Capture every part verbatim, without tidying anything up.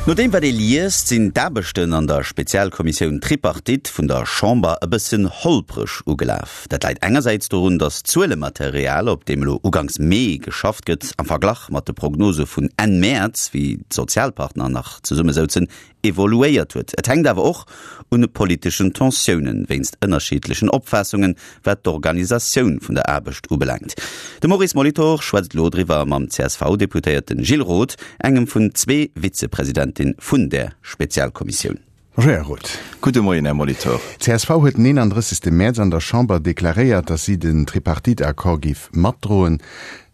No deem wat ee liest, sinn d'Aarbechten an der Spezialkommissioun Tripartite vun der Chamber e bëssen holpreg ugelaf. Dat läit engersäits dorun, datt d'Zuelematerial, op deem elo uganks Mee geschafft gëtt, am Verglach mat de Prognose vun Enn Mäerz, wéi d'Sozialpartner nach zesumme souzen, evoluéiert huet. Et hänkt awer och un politeschen Tensiounen wéinst ënnerschiddlechen Opfaassungen, wat d'Organisatioun vun der Aarbecht ubelaangt. De Maurice Molitor schwätzt elo driwwer mam C S V-Deputéierte Gilles Roth, engem vun zwee Vizepresidentin vun der Spezialkommissioun. Bonjour, Här Roth. Gudde Moien, Här Molitor. C S V huet den eenandrëssegste. Mäerz an der Chamber deklaréiert, datt si den Tripartite-Accord géif matdroen.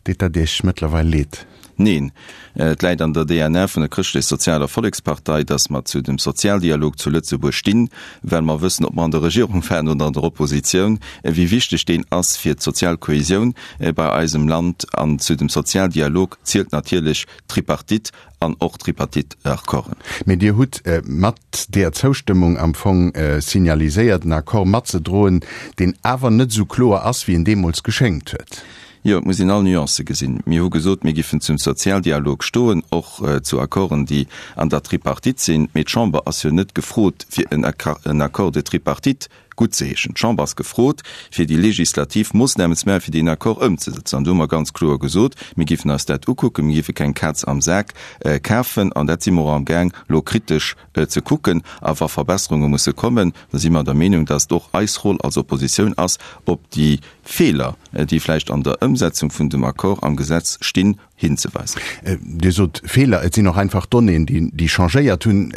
Deet dat Iech mëttlerweil leed? Neen. Et läit an der D N A vun der Chrëschtlech-Sozialer Vollekspartei, datt mer zu dem Sozialdialog zu Lëtzebuerg stinn, well mer wëssen, ob mer an der Regierung waren oder an der Oppositioun, wéi wichteg deen ass fir d'sozial Kohesioun bei eisem Land. An zu dem Sozialdialog zielt natierlech d'Tripartite an och d'Tripartite-Accorden. Mee Dir hutt mat där Zoustëmmung am Fong signaliséiert, en Accord matzedroen, deen awer net esou kloer ass, wéi en deemools geschéngt huet. Jo, et muss een all Nuancë gesinn. Mir hu gesot, mir giffen zum Sozialdialog stoen, och zu Accorden, déi an der Tripartite sinn. Mee d'Chamber ass jo net gefrot, fir en Accord de tripartite guttzeheeschen. D'Chamber ass gefrot, fir déi legislativ Moossnamen ze maachen, fir deen Accord ëmzesetzen. An do hu mer ganz kloer gesot, mir giffen eis dat ukucken, mir giffe keng Kaz am Sak kafen. An dat si mer och amgaang elo kritesch ze kucken. A wa Verbesserunge musse kommen, da si mer der Meenung, dass et och eis Roll als Oppositioun ass, op déi Feeler, déi vläicht an der Ëmsetzung vun dem Accord am Gesetz stinn, hinzeweisen. Dir sot Feeler, et sinn och einfach Donnéeën, déi changéiert hunn,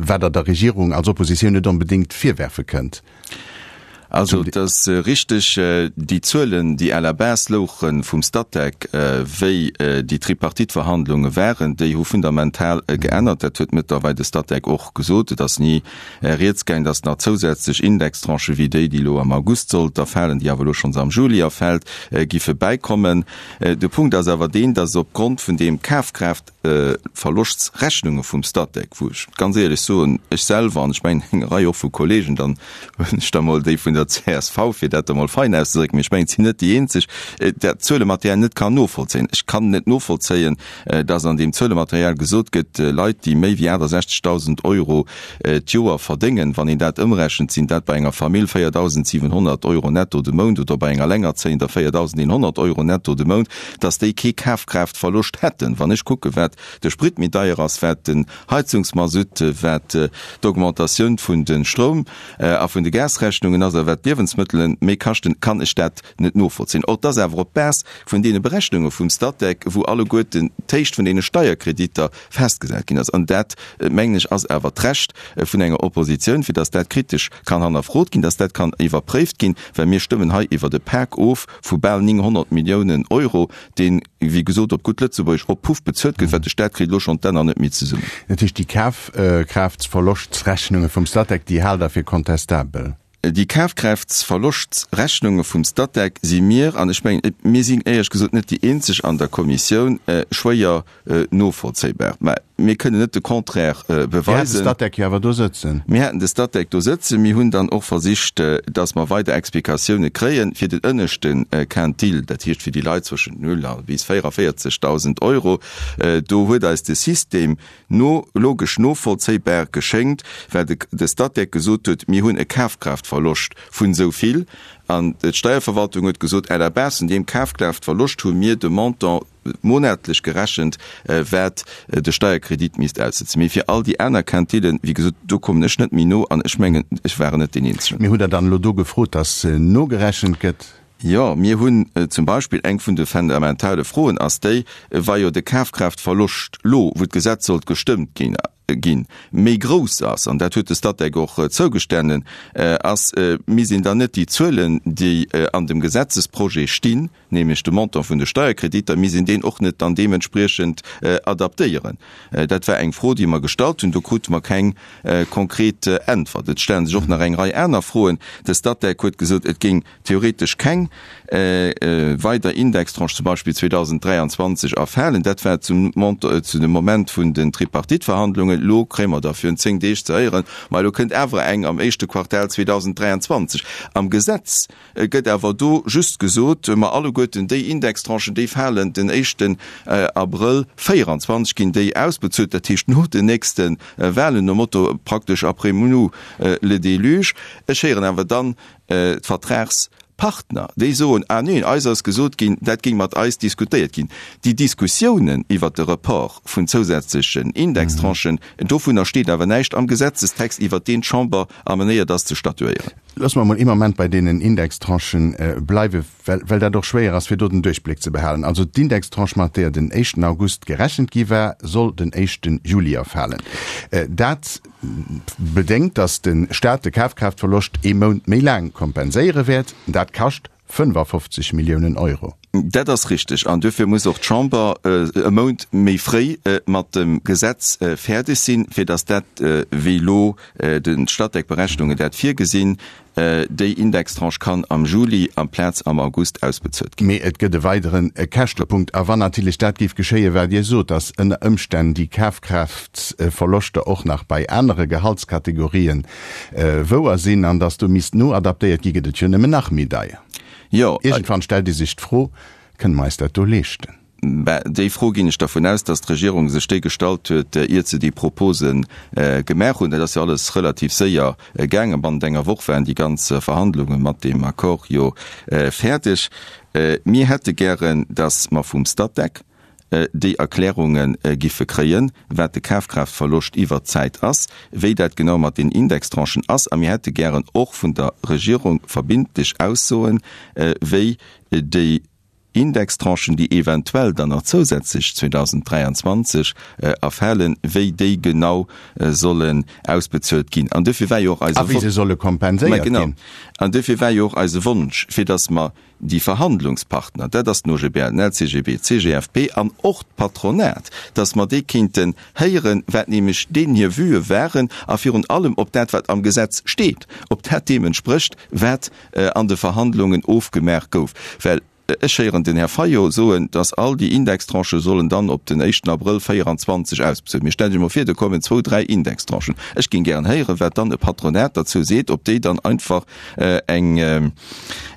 wat Der der Regierung als Oppositioun net onbedéngt virwerfe kënnt. Also et ass richteg, déi Zuelen, déi à la base louche vum Statec, wéi déi Tripartite-Verhandlunge waren, déi hu fundamental geännert. Dat huet mëttlerweil de Statec och gesot. Et ass ni rieds gaang, datt nach zousätzlech Indextranchë wéi déi, déi elo am August sollt erfalen, déi awer elo schonns am Juli erfält, giffe bäikommen. De Punkt ass awer deen, datt opgrond vun deem Kafkraaftverloschtrechnunge vum Statec, wou ech ganz éierlech soen, ech selwer, an ech mengen eng Rei och vu Kollegen, dann huelen ech da mol déi vun der C S V, fir dat da mol fein auszedrécken, mee ech mengen, et sinn net déi eenzeg, dat Zuelematerial net kann novollzéien. Ech kann net novollzéien, dass an deem Zuelematerial gesot gëtt, Leit, déi méi wéi aachtasechzegdausend Euro d'Joer verdéngen, wann een dat ëmrechent, sinn dat bei enger Famill véierdausendsiwenhonnert Euro netto de Mount oder bei enger Alengerzéiender véierdausendeenhonnert Euro netto de Mount, dass déi kee Kafkraaftverloscht hätten. Wann ech kucke wat de Sprit méi deier ass, wat den Heizungsmasutt, wat d'Augmentatioun vun de Stroum a vun de Gasrechnungen ass a wat d'Liewensmëttele méi kaschten, kann ech dat net novollzéien. Och dass awer op Base vun deene Berechnunge vum Statec, wou alleguerten d'Héicht vun deene Steierkreditter festgesat ginn ass. An dat, mengen ech, ass awer d'Recht vun enger Oppositioun, fir dass dat kritesch kann hannerfrot ginn, dass dat kann iwwerpréift ginn, well mir stëmmen hei iwwert e Pak of vu bal nénghonnert Milliounen Euro, deen, wéi gesot, op gutt Lëtzebuergesch op Puff bezuelt gëtt, well de Staat kritt elo schonn d'Enner net méi zesummen. Dat heescht, déi Kafkraaftverloschtrechnunge vum Statec, déi haalt Der fir kontestabel? Déi Kafkraaftverloschtrechnunge vum Statec si mir, an ech mengen, mir sinn éierlech gesot net déi eenzeg an der Kommissioun, schwéier novollzéibar. Mä mir kënnen net de Contraire Dir hat de beweisen. Statec jo awer do sëtzen. Mir haten de Statec do sëtzen. Mir hunn dann och versicht, dass mer weider Explikatioune kréien fir den ënneschte Quintil, dat heescht fir déi Leit zwëschent null a bis véierundavéierzegdausend Euro. Do huet eis de System no logesch novollzéibar geschéngt, well de de Statec gesot huet, mir hunn e Kafkraaftverloscht vun esou vill, an d'Steierverwaltung huet gesot, à la base vun deem Kafkraaftverloscht hu mir de Montant monatlech gerechent, wat de Steierkredit misst aussetzen. Mee fir all déi aner Quintillen, wéi gesot, do kommen ech net méi no, an ech mengen, ech waren net deen Eenzegen. Mee hutt Der dann elo do gefrot, datt nogerechent gëtt? Jo, mir hunn zum Beispill, eng vun de fundamentale Froen ass déi, wa jo de Kafkraaftverloscht lo, wou d'Gesetz sollt gestëmmt ginn, ginn, méi grouss ass, an dat huet de Statec och zougestanen, ass, misst een dann net déi Zuelen, déi an dem Gesetzesprojet stinn, nämlech de Montant vun de Steierkreditter, misst een deen och net dann deementspriechend adaptéieren? Dat war eng Fro, déi mer gestallt hunn. Do krute mer keng konkret Äntwert. Et stelle sech och nach eng Rei aner Froen. De Statec huet gesot, et géing theoretesch keng weider Indextranche zum Beispill zweedausenddräianzwanzeg erfalen. Dat war zum zu dem Moment vun den Tripartite-Verhandlungen. Elo kréie mer da virun zéng Deeg ze héieren, ma elo kënnt awer eng am éischte Quartal zweedausenddräianzwanzeg. Am Gesetz gëtt awer do just gesot, ma alleguerten alleguerten déi Indextranchen, déi falen den éischten Abrëll véieranzwanzeg ginn déi ausbezuelt, dat heescht no den nächste Wahlen, nom Motto praktesch après nous le déluge. Ech héieren awer dann d'Vertragspartner, déi soen, ah neen, eis ass gesot ginn, dat géing mat eis diskutéiert ginn. Déi Diskussiounen iwwert de Report vun zousätzlechen Indextranchen, dovunner steet awer näischt am Gesetzestext, iwwert deen d'Chamber amenéiert ass ze statuéieren. Loosse mer emol ee Moment bei deenen Indextranchen bleiwen, well, well dat och schwéier ass, fir do den Duerchbléck ze behalen. Also d'Indextranche, mat deeër den éischten August gerechent gi war, soll den éischten Juli erfalen. Dat bedéngt, datt de Staat de Kafkraaftverloscht ee Mount méi laang kompenséiere wäert. Dat kascht fënnefafofzeg Milliounen Euro. Dat ass richtig. An duerfir muss och d'Chamber e Mount méi fréi mat dem Gesetz fäerdeg sinn, fir datt dat, wéi elo de Statec-Berechnungen dat virgesinn, déi Indextranche kann am Juli amplaz am August ausbezuelt ginn. Mee et gëtt e weidere Käschtepunkt. A wann natierlech dat géif geschéien, wat Dir sot, datt ënner Ëmstänn déi Kafkraaftverloschter och nach bei anere Gehaltskategorien wouer sinn an datt do misst noadaptéiert ginn, gëtt et jo nëmmen nach méi deier. Jo. Iergendwann stellt ee sech d'Fro, Kënne mer eis dat do leeschten? Ben, déi Fro ginn ech dervun aus, dass d'Regierung sech déi gestallt huet, iert se déi Propose gemaach hunn. Dat ass jo alles relativ séier gaangen. Bannent enger Woch waren déi ganz Verhandlunge mat deem Accord jo fäerdeg. Mir hätte gären, dass mer vum Statec déi Erklärunge giffe kréien, wat de Kafkraaftverloscht iwwert d'Zäit ass, wéi dat genau mat den Indextranchen ass. A mir hätte gären och vun der Regierung verbindlech Aussoen, wéi déi Indextranchen, déi eventuell dann nach zousätzlech zweedausenddräianzwanzeg erfalen, wéi déi genau sollen ausbezuelt ginn. An duerfir war jo och eise A wéi se solle kompenséiert ginn. An duerfir war jo och eise Wonsch, fir datt mer déi Verhandlungspartner, dat ass den O G B L, den L C G B, d'C G F P an och d'Patronat, datt mer déi kéinten héieren, wat nämlech deenen hir Vuë waren a virun allem, ob dat, wat am Gesetz steet, ob dat deem entsprécht, wat an de Verhandlungen ofgemaach gouf. Well ech héieren den Här Fayot soen, datt all déi Indextranchë sollen dann op den éischten Abrëll véieranzwanzeg ausbezuelt. Mee stellt Iech emol vir, do kommen zwou, dräi Indextranchen. Ech géing gären héieren, wat dann e Patronat derzou seet, ob déi dann einfach eng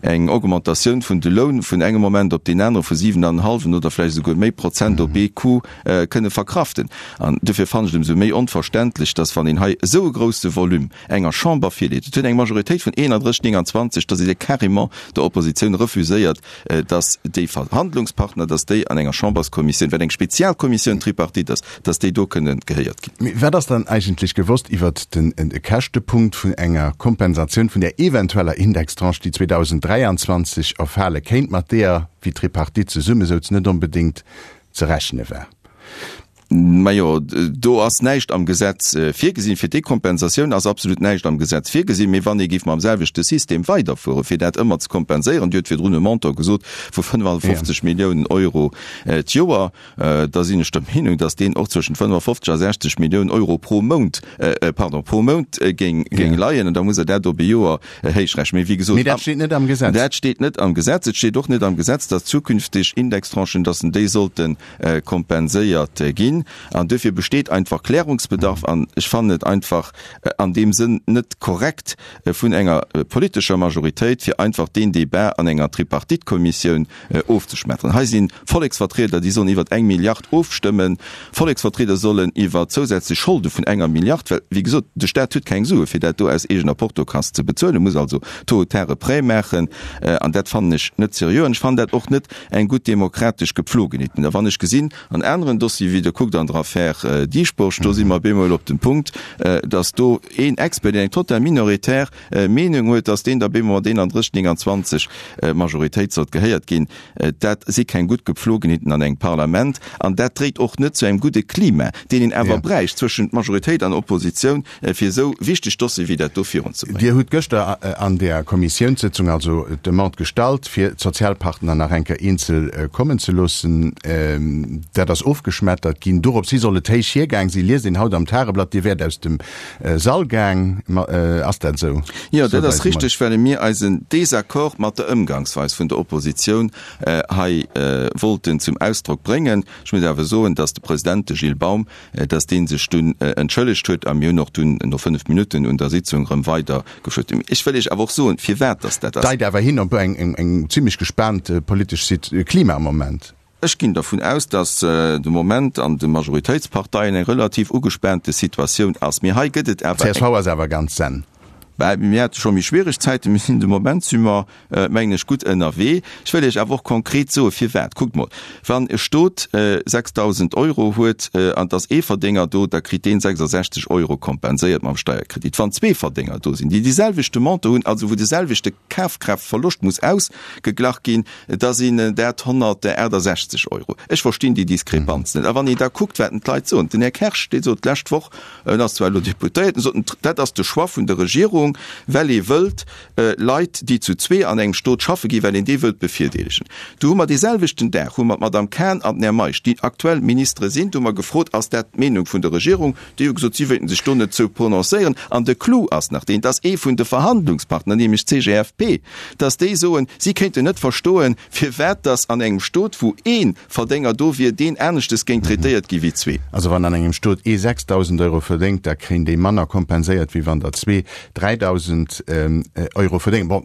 eng Augmentatioun vun de Loun vun engem Moment op deen anere vu siwen an en hallwen oder vläicht esouguer méi Prozent op ee Coup kënne verkraften. An duerfir fannen ech et ëmsou méi onverständlech, datt, wann een hei esou e grousse Volume enger Chamber virleet, et huet eng Majoritéit vun eenandrësseg, nénganzwanzeg, datt ee se carrément der Oppositioun refuséiert, dass déi Verhandlungspartner, dass déi an enger Chamberskommissioun, wat eng Spezialkommissioun tripartite ass, dass déi do kënnen gehéiert ginn. Mee wat ass dann eigentlech gewosst iwwert de Käschtepunkt vun enger Kompensatioun vun där eventueller Indextranche, déi zweedausenddräianzwanzeg erfale kéint, mat deeër, wéi d'Tripartite zesummesouz, net onbedéngt ze rechne war? Majo, do ass näischt am Gesetz virgesinn. Fir déi Kompensatioun ass absolut näischt am Gesetz virgesinn. Mee wann ee géif mam selwechte System weiderfueren, fir dat ëmmer ze kompenséieren, Dir hutt virdrun e Montant gesot vu fënnefafofzeg Milliounen Euro d'Joer, da sinn ech der Meenung, datt deen och zwëschent fënnefafofzeg a sechzeg Milliounen Euro pro Mount, pardon, pro Mount géing leien. An da muss Der dat op e Joer héichrechnen. Mee wéi gesot. Mee dat steet net am Gesetz. Dat steet net am Gesetz. Et steet och net am Gesetz, datt zukünfteg Indextranchen, datt déi sollten kompenséiert ginn. An duerfir besteet einfach Klärungsbedarf. An ech fannen et einfach an deem Sënn net korrekt vun enger politescher Majoritéit, fir einfach deen Débat an enger Tripartite-Kommissioun ofzeschmetteren. Hei si Volleksvertrieder, déi sollen iwwer eng Milliard ofstëmmen. Volleksvertrieder sollen iwwer zousätzlech Scholde vun enger Milliard, well, wéi gesot, de Stat huet keng Sue fir dat do aus eegener Portokass ze bezuelen, muss also tôt ou tard e Prêt maachen. An dat fannen ech net seriö. An ech fannen dat och net eng gutt demokratesch Gepflogenheet. A wann ech gesinn an aneren Dossiere, wéi Der kuckt an der Affär Dieschbourg, do si mer op eemol op dem Punkt, datt do een Expert, deen eng total minoritär Meenung huet, datt deen da op eemol mat eenandrësseg, nénganzwanzeg Majoritéit sollt gehéiert ginn. Dat si keng gutt Gepflogenheeten an engem Parlament an dat dréit och net zu engem gudde Klima, deen een awer bräicht zwëschent Majoritéit an Oppositioun, fir esou wichteg Dossiere wéi dat do virunzebréngen. Dir hutt gëschter an där Kommissiounssëtzung also d'Demande gestallt, fir d'Sozialpartner nach eng Kéier eenzel kommen ze loossen. Dat ass ofgeschmettert ginn. ginn. Dorops hi soll et héich hiergaang sinn, liest een haut am Tageblatt. Dir wäert aus dem Sall gaang. Ass dat esou? Jo, dat ass richteg, well mir eisen Désaccord mat der Ëmgangsweis vun der Oppositioun hei wollten zum Ausdrock bréngen. Ech muss awer soen, dass de President, de Gilles Baum, dass dee sech dunn entschëllegt huet a mir hunn och dunn no fënnef Minutten un der Sitzung erëm weidergefuert. Ech wëll Iech awer och soen, firwat dass dat ass. Deit awer hin op eng zimlech gespaant politesch Klima am Moment. Ech ginn dervun aus, dass de Moment an de Majoritéitsparteien eng relativ ugespaante Situatioun ass. Mee hei gëtt et awer eng. Csv ass awer ganz zen. Bah, mir hate scho méi schwiereg Zäiten. Mir sinn de Moment si mer, mengen ech, gutt ënnerwee. Ech wëll Iech awer och konkret soen, firwat. Kuckt mol, wann e Stot sechsdausend Euro huet an et ass ee Verdénger do, da kritt deen sechsasechzeg Euro kompenséiert mam Steierkredit. Wann zwee Verdénger do sinn, déi dee selwechte Montant hunn, also wou de selwechte Kafkraaftverloscht muss ausgeglach ginn, da sinn dat honnertaachtasechzeg Euro. Ech verstinn déi Diskrepanz net. A wann een da kuckt, wat d'Leit soen, den Här Kersch, dee sot d'lescht Woch, en ass zwar elo Deputéierten, sot en, dat ass de Choix vun der Regierung, well ee wëllt Leit, déi zu zwee an engem Stot schaffe ginn, well een déi wëllt bevirdeelegen. Du hu mer dee selwechten Dag hu mer d'Madame Cahen an den Här Meisch, déi aktuell Ministere sinn, do hu mer gefrot, ass dat d'Meenung vun der Regierung? Déi hu gesot, si wéilten sech do net zou prononcéieren. An de Clou ass nach deen, dass ee vun de Verhandlungspartner, nämlech d'CGFP, dass déi soen, si kéinten net verstoen, firwat dass an engem Stot, wou ee Verdénger do wier, deen aneschtes géing traitéiert gi wéi zwee. Also wann an engem Stot ee sechsdausend Euro verdéngt, da kréien déi manner kompenséiert, wéi wann der zwee dräidausend Euro verdéngen. Bon,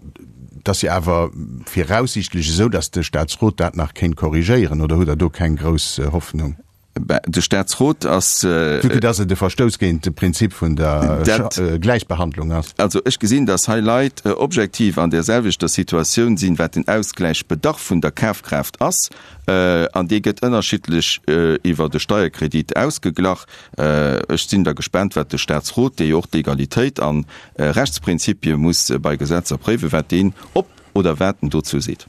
et ass jo awer viraussiichtlech esou, dass de Staatsrot dat nach kéint korrigéieren, oder hutt Der do keng grouss Hoffnung? Ben, de Staatsrot ass. Vue que dass et e Verstouss géint de Prinzip vun der Gläichbehandlung ass. Also ech gesinn, dass hei Leit objektiv an där selwechter Situatioun sinn, wat den Ausgläichbedarf vun der Kafkraaft ass, an dee gëtt ënnerschiddlech iwwer de Steierkredit ausgeglach. Ech sinn da gespaant, wat de Staatsrot, dee jo och d'Egalitéit an Rechtsprinzipie muss bei Gesetzer préiwen, wat deen op oder wat en dozou seet.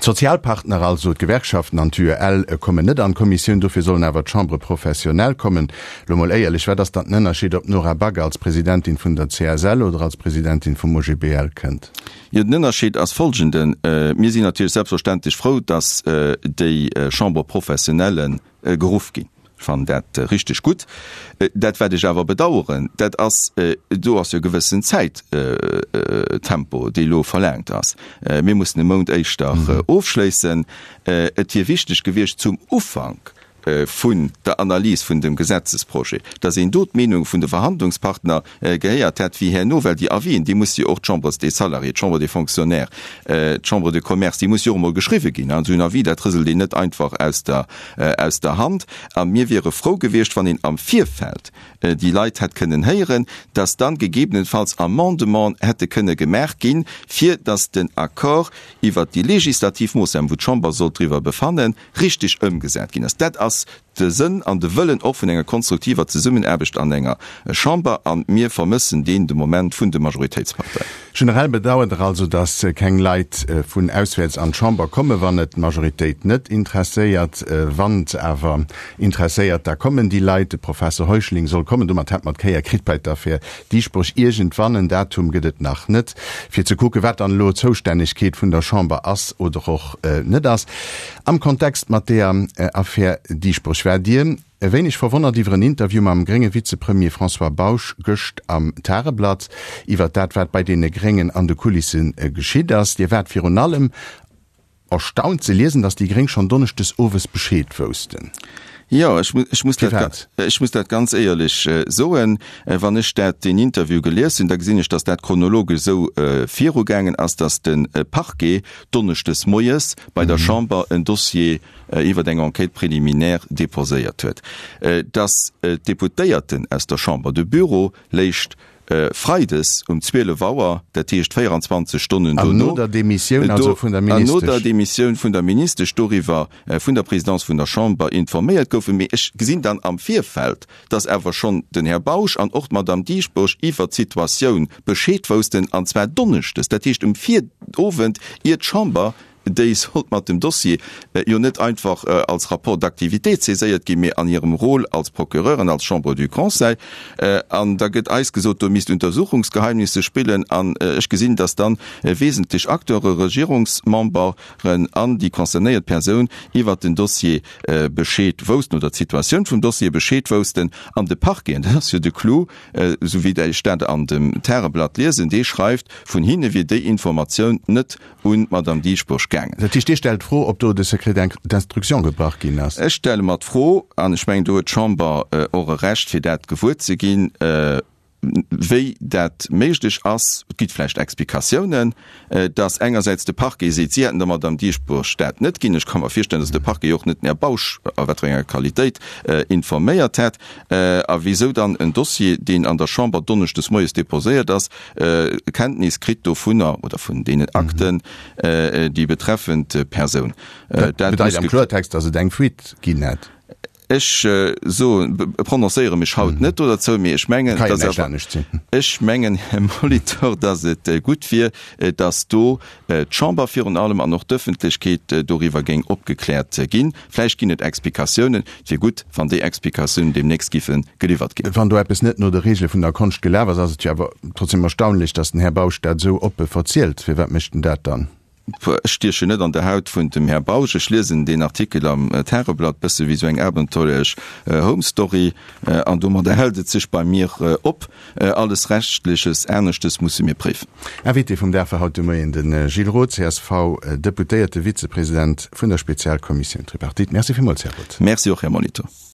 D'Sozialpartner, also d'Gewerkschaften an d'UEL, kommen net an d'Kommissioun, dofir sollen awer d'Chambres professionnelles kommen. Lo mol éierlech, wat ass dann den Ënnerscheed, ob d'Nora Back als Presidentin vun der C S L oder als Presidentin vum O G B L kënnt? Jo, den Ënnerscheed ass folgenden, Mir sinn natierlech selbstverständlech frou, datt déi Chambres professionnelles geruff ginn. Ech fannen dat richteg gutt. Dat, wat ech awer bedauern, dat ass, do ass jo e gewëssen Zäittempo, dee elo verlaangt ass. Mir mussen e Mount éischter ofschléissen. Et wier wichteg gewiescht zum Ufank vun der Analys vun dem Gesetzesprojet, datt een do d'Meenung vun de Verhandlungspartner gehéiert hätt, wéi herno, well déi Avisen, déi musse jo och, d'Chambres des Salariés, d'Chambre des Fonctionnaires, d'Chambre de Commerce, déi musse jo och emol geschriwwe ginn. Esou en Avis, dat rëselt een net einfach aus der aus der Hand. A mir wiere frou gewiescht, wann een am Virfeld déi Leit hätt kënnen héieren, datt dann gegebenenfalls Amendementen hätte kënne gemaach ginn, fir datt den Accord iwwert déi legislativ Moossnamen, wou d'Chamber sollt driwwer befannen, richtig ëmgesat ginn ass. Dat ass de Sënn an de Wëllen och vun enger konstruktiver Zesummenaarbecht an enger Chamber, a mir vermëssen deen de Moment vun de Majoritéitsparteien. Generell bedauert Der also, datt keng Leit vun auswäerts an d'Chamber kommen, wann et d'Majoritéit net interesséiert. Wann se awer interesséiert, da kommen déi Leit. De Professor Heuschling soll kommen. Domat hätt mer d'Kéier kritt bei d'Affär Dieschbourg. Iergendwann, en Datum gëtt et nach net, fir ze kucken, wat dann elo d'Zoustännegkeet vun der Chamber ass oder och net ass. Am Kontext mat deeër Affär Dieschbourg waart Dir e wéineg verwonnert iwwer en Interview mam grénge Vizepremier François Bausch gëscht am Tageblatt iwwer dat, wat bei deene Gréngen an de Kulisse geschitt ass. Dir waart virun allem erstaunt ze liesen, datt déi Gréng schonn donneschdes owes Bescheed woussten. Jo, ech ech muss dat, ech muss dat ganz éierlech soen. Wann ech dat deen Interview gelies hunn, da gesinn ech, datt dat chronologesch esou virugaangen ass, datt de Parquet donneschdes moies bei der Chamber en Dossier iwwer eng Enquête préliminaire déposéiert huet, datt d'Deputéierten aus der Chamber, de Bureau léischt freides um zwielef Auer, dat heescht véieranzwanzeg Stonnen dono, an no der Demissioun also vun der Ministesch, an no der Demissioun vun der Ministesch doriwwer vun der Présidence vun der Chamber informéiert goufen. Mee ech gesinn dann am Virfeld, datt awer schonn den Här Bausch an och d'Madame Dieschbourg iwwert d'Situatioun Bescheed woussten, an zwar donneschdes, dat heescht um Virowend, ier d'Chamber déi sollt mat dem Dossier jo net einfach als Rapport d'activité saiséiert ginn, mee an hirem Rôle als Procureur an als Chambre du Conseil. An da gëtt eis gesot, do misst Untersuchungsgeheimnisse spillen. An ech gesinn, dass dann wesentlech Acteure, Regierungsmemberen an déi concernéiert Persoun iwwert den Dossier Bescheed woussten oder d'Situatioun vum Dossier Bescheed woussten. An de Parquet, an dat ass jo de Clou, esou wéi ech dat an dem Tageblatt liesen, dee schreift, vun hinne wier déi Informatioun net un d'Madame Dieschbourg gaangen. Dat heescht, Dir stellt d'Fro, ob do de Secret d'instruction gebrach ginn ass? Ech stelle mer d'Fro, an ech mengen, do huet d'Chamber och e Recht, fir dat gewuer ze ginn, wéi dat méiglech ass. Et gi vläicht Explikatiounen, dass engersäits de Parquet seet, si hätten der Madame Dieschbourg dat net ginn. Ech ka mer virstellen, dass de Parquet och net den Här Bausch, a wat fir enger Qualitéit, informéiert hätt. A wéisou dann en Dossier, deen an der Chamber donneschdes moies déposéiert ass, Kenntnis kritt dovunner oder vun deenen Akten, déi betreffend Persoun. Dat bedeit am Kloertext, datt et eng Fuite ginn hätt. Ech soen, prononcéiere mech haut net do derzou, mee ech mengen, Kann jo näischt anescht sinn. Ech mengen, Här Molitor, datt et gutt wier, datt do d'Chamber virun allem an och d'Ëffentlechkeet doriwwer géing opgekläert ginn. Vläicht ginn et Explikatiounen. Et wier gutt, wann déi Explikatiounen deemnächst giffe geliwwert ginn. Wann do eppes net no de Regele vun der Konscht gelaf ass, ass et jo awer trotzdem erstaunlech, datt den Här Bausch dat esou oppe verzielt. Firwat mécht en dat dann? Ech stiechen net an der Haut vun dem Här Bausch. Ech liesen deen Artikel am Tageblatt bësse wéi sou eng abenteuerlech Home Story an domadder hält et sech bei mir op. Alles Rechtleches aneschtes musse mir préifen. Invité vum Dag war haut de Moien de Gilles Roth, C S V-Deputéierte, Vizepresident vun der Spezialkommissioun Tripartite. Merci villmools, Här Roth. Merci och, Här Molitor.